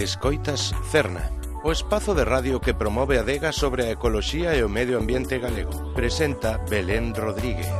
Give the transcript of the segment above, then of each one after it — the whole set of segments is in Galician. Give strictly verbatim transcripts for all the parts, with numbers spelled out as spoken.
Escoitas Cerna, o espazo de radio que promove a adega sobre a ecoloxía e o medio ambiente galego. Presenta Belén Rodríguez.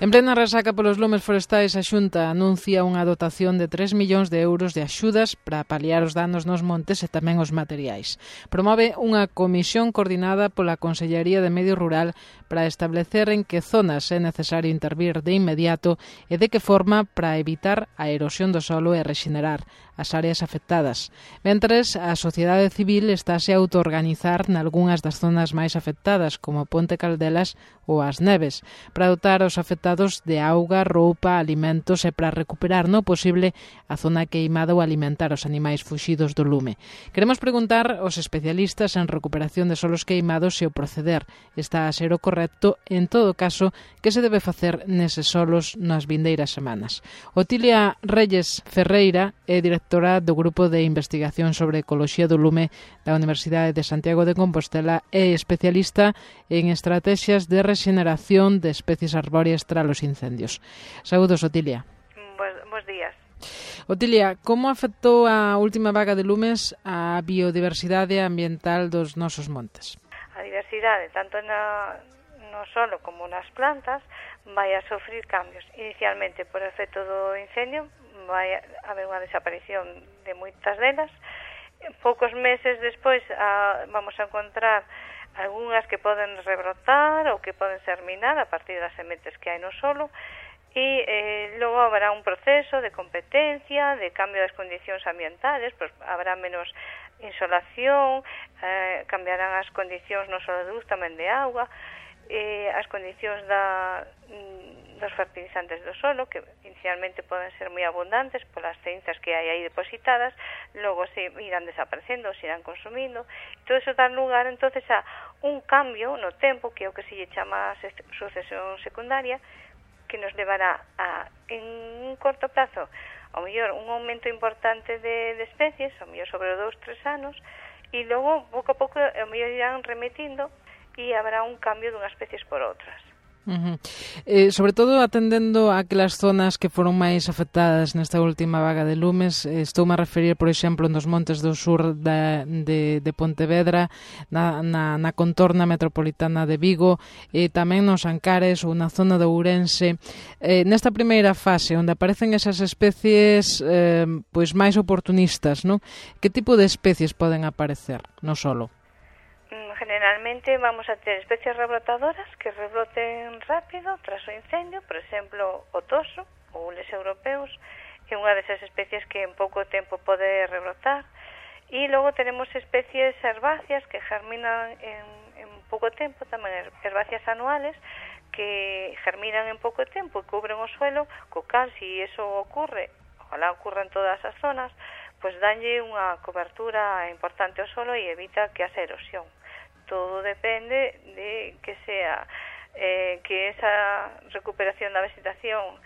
En plena resaca polos lumes forestais, a Xunta anuncia unha dotación de tres millóns de euros de axudas para paliar os danos nos montes e tamén os materiais. Promove unha comisión coordinada pola Consellería de Medio Rural para establecer en que zonas é necesario intervir de inmediato e de que forma para evitar a erosión do solo e rexenerar as áreas afectadas. Mentres, a sociedade civil estáse a autoorganizar nalgúnas das zonas máis afectadas, como Ponte Caldelas ou as Neves, para dotar aos afectados de auga, roupa, alimentos e para recuperar no posible a zona queimada ou alimentar os animais fuxidos do lume. Queremos preguntar aos especialistas en recuperación de solos queimados se o proceder está a ser o correcto, en todo caso, que se debe facer neses solos nas vindeiras semanas. Otilia Reyes Ferreira é directora do Grupo de Investigación sobre Ecoloxía do Lume da Universidade de Santiago de Compostela e especialista en estrategias de rexeneración de especies arbóreas tras os incendios. Saúdos, Otilia. Bos, bos días. Otilia, como afectou a última vaga de lumes a biodiversidade ambiental dos nosos montes? A diversidade, tanto na, no solo como nas plantas, vai a sofrir cambios. Inicialmente, por efecto do incendio, vai haber unha desaparición de moitas delas. Poucos meses despois a, vamos a encontrar algunhas que poden rebrotar ou que poden germinar a partir das sementes que hai no solo e eh, logo habrá un proceso de competencia, de cambio das condicións ambientales, pues habrá menos insolación, eh, cambiarán as condicións non só de luz, tamén de auga, eh, as condicións da, dos fertilizantes do solo, que inicialmente poden ser moi abundantes polas cenzas que hai aí depositadas, logo se irán desaparecendo, se irán consumindo. Todo eso dá lugar entonces a un cambio no tempo, que é o que se lle chama sucesión secundaria, que nos levará a, en un corto plazo, ao mellor un aumento importante de, de especies, ao mellor sobre dous, tres anos, e logo, pouco a pouco, ao mellor irán remitindo e habrá un cambio dunhas especies por outras. Uh-huh. Eh, sobre todo atendendo a aquelas zonas que foron máis afectadas nesta última vaga de lumes, eh, estou a referir, por exemplo, nos montes do sur da, de, de Pontevedra, na, na, na contorna metropolitana de Vigo, e tamén nos Ancares ou na zona de Ourense. Eh, nesta primeira fase, onde aparecen esas especies eh, pois máis oportunistas, non? Que tipo de especies poden aparecer no solo? Generalmente vamos a ter especies rebrotadoras que rebroten rápido tras o incendio, por exemplo, o toso ou les europeos, que é unha desas especies que en pouco tempo pode rebrotar. E logo tenemos especies herbáceas que germinan en, en pouco tempo, tamén herbáceas anuales, que germinan en pouco tempo e cubren o suelo, co cal, se iso ocurre, ojalá ocurra en todas as zonas, pois danlle unha cobertura importante ao suelo e evita que haxa erosión. Todo depende de que sea eh, que esa recuperación da vegetación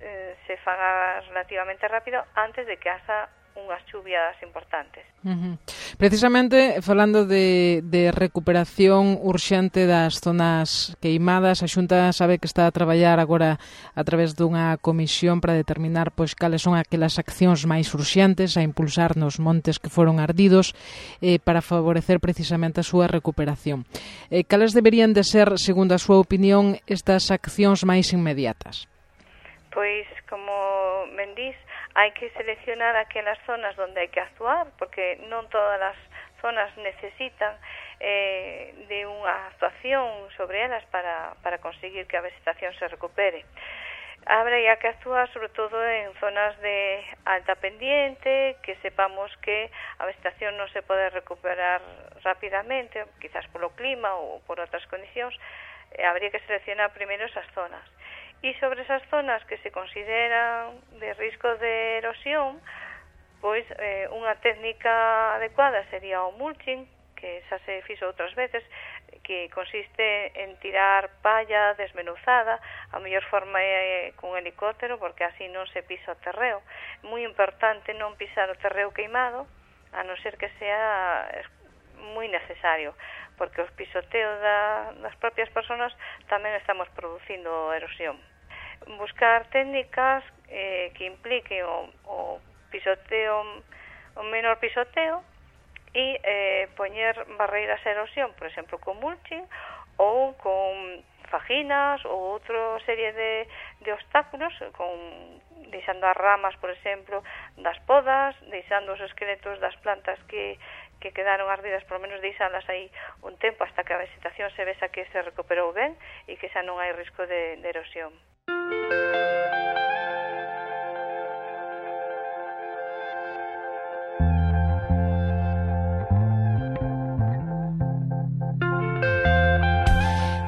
eh, se faga relativamente rápido antes de que haxa unhas chuvias importantes. Uh-huh. Precisamente, falando de, de recuperación urxente das zonas queimadas, a Xunta sabe que está a traballar agora a través dunha comisión para determinar pois cales son aquelas accións máis urxentes a impulsar nos montes que foron ardidos eh, para favorecer precisamente a súa recuperación. Eh, cales deberían de ser, segundo a súa opinión, estas accións máis inmediatas? Pois, como ben dís, hai que seleccionar aquelas zonas onde hai que actuar, porque non todas as zonas necesitan eh, de unha actuación sobre elas para, para conseguir que a vegetación se recupere. Habría que actuar sobre todo en zonas de alta pendiente, que sepamos que a vegetación non se pode recuperar rapidamente, quizás polo clima ou por outras condicións. Eh, habría que seleccionar primeiro esas zonas. E sobre esas zonas que se consideran de risco de erosión, pois eh, unha técnica adecuada sería o mulching, que xa se fixo outras veces, que consiste en tirar palla desmenuzada, a mellor forma é cun helicóptero, porque así non se pisa o terreo. Moi importante non pisar o terreo queimado, a non ser que sea moi necesario, porque os pisoteos da, das propias persoas tamén estamos producindo erosión. Buscar técnicas eh, que impliquen o, o pisoteo, o menor pisoteo, e eh, poñer barreiras a erosión, por exemplo, con mulching ou con faginas ou outra serie de, de obstáculos, con deixando as ramas, por exemplo, das podas, deixando os esqueletos das plantas que, que quedaron ardidas, por lo menos deixalas aí un tempo hasta que a vegetación se vesa que se recuperou ben e que xa non hai risco de, de erosión.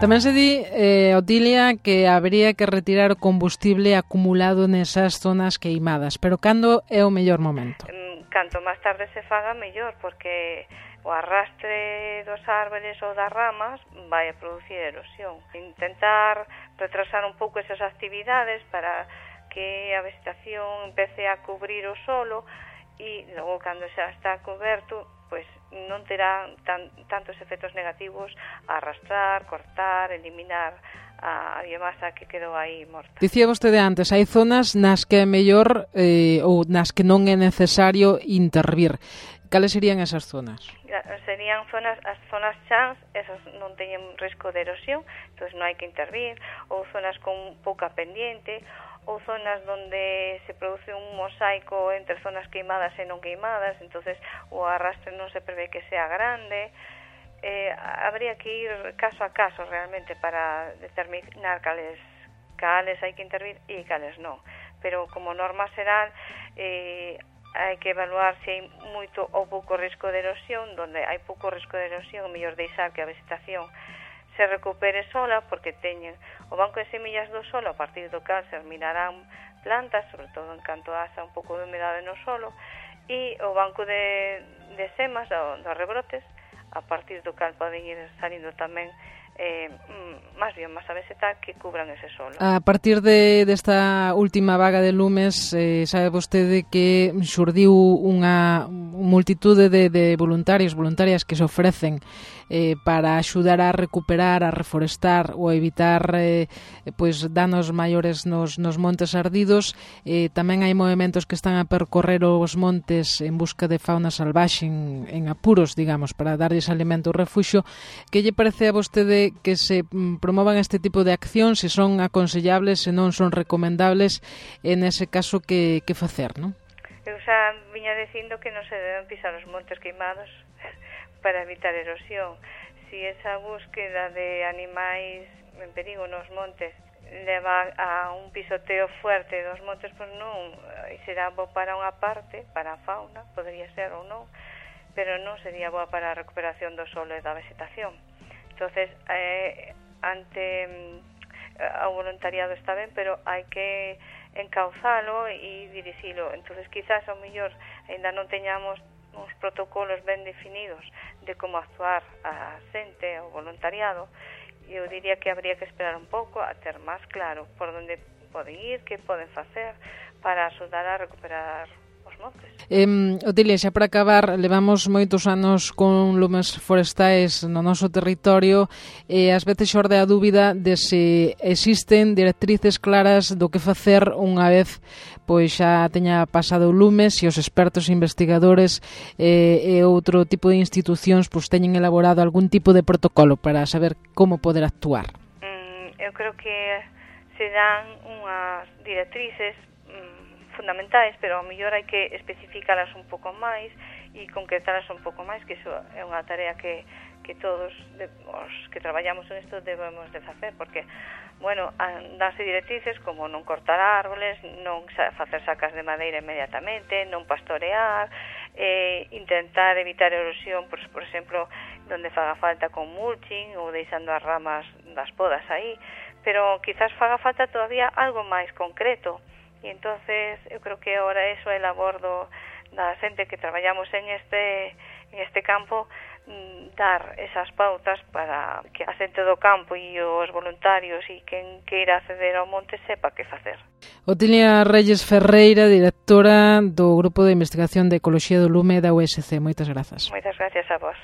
Tamén se di, eh, Otilia, que habría que retirar o combustible acumulado nesas zonas queimadas, pero cando é o mellor momento? Canto máis tarde se faga, mellor, porque o arrastre dos árboles ou das ramas vai a producir erosión. Intentar retrasar un pouco esas actividades para que a vegetación empece a cubrir o solo e logo, cando xa está coberto, pois non terá tan, tantos efectos negativos a arrastrar, cortar, eliminar a biomasa que quedou aí morta. Dicía vostede antes, hai zonas nas que é mellor eh, ou nas que non é necesario intervir. Cales serían esas zonas? Serían zonas, as zonas chans, esas non teñen risco de erosión, entón non hai que intervir, ou zonas con pouca pendiente, ou zonas donde se produce un mosaico entre zonas queimadas e non queimadas, entonces o arrastre non se prevé que sea grande. Eh, habría que ir caso a caso realmente para determinar cales, cales hai que intervir e cales non. Pero como norma xeral, eh, hai que evaluar se hai moito ou pouco risco de erosión. Donde hai pouco risco de erosión, o mellor deixar que a vegetación se recupere sola, porque teñen o banco de semillas do solo, a partir do cal se mirarán plantas, sobre todo en canto haxa un pouco de humedade no solo, e o banco de, de semas, do, dos rebrotes, a partir do cal poden ir salindo tamén eh, máis biomasa vegetal que cubran ese solo. A partir de desta última vaga de lumes, eh, sabe vostede que xurdiu unha multitude de, de voluntarios, voluntarias que se ofrecen eh, para axudar a recuperar, a reforestar ou a evitar eh, pois danos maiores nos, nos montes ardidos. Eh, tamén hai movementos que están a percorrer os montes en busca de fauna salvaxe en, en apuros, digamos, para darlles alimento ou refuxio. Que lle parece a vostede que se promovan este tipo de acción, se son aconsellables, se non son recomendables, en ese caso que, que facer, non? Eu xa viña dicindo que non se deben pisar os montes queimados para evitar erosión. Si esa búsqueda de animais en perigo nos montes leva a un pisoteo fuerte dos montes, pois non, será bo para unha parte, para a fauna, podría ser ou non, pero non sería boa para a recuperación do solo e da vegetación. Entonces, eh, ante eh, o voluntariado está ben, pero hai que encauzalo e dirixilo. Entonces, quizás ao mellor ainda non teñamos uns protocolos ben definidos de como actuar a xente, o voluntariado. Eu diría que habría que esperar un pouco a ter máis claro por onde poden ir, que poden facer para axudar a recuperar os montes. Eh, Otilia, xa para acabar, levamos moitos anos con lumes forestais no noso territorio e ás veces xorde a dúbida de se existen directrices claras do que facer unha vez pois xa teña pasado o lume, se os expertos investigadores eh, e outro tipo de institucións pois teñen elaborado algún tipo de protocolo para saber como poder actuar. Mm, eu creo que se dan unhas directrices mm, fundamentais, pero ao mellor hai que especificalas un pouco máis e concretalas un pouco máis, que iso é unha tarea que, que todos de, os que traballamos en isto debemos de facer, porque bueno, danse directrices como non cortar árboles, non facer sacas de madeira inmediatamente, non pastorear, eh, intentar evitar erosión, por, por exemplo, donde faga falta con mulching ou deixando as ramas das podas aí, pero quizás faga falta todavía algo máis concreto. E entonces eu creo que ahora eso é labor do, da xente que traballamos en este, en este campo, dar esas pautas para que a xente do campo e os voluntarios e quen queira acceder ao monte sepa que facer. Otilia Reyes Ferreira, directora do Grupo de Investigación de Ecoloxía do Lume da U S C. Moitas grazas. Moitas gracias a vos.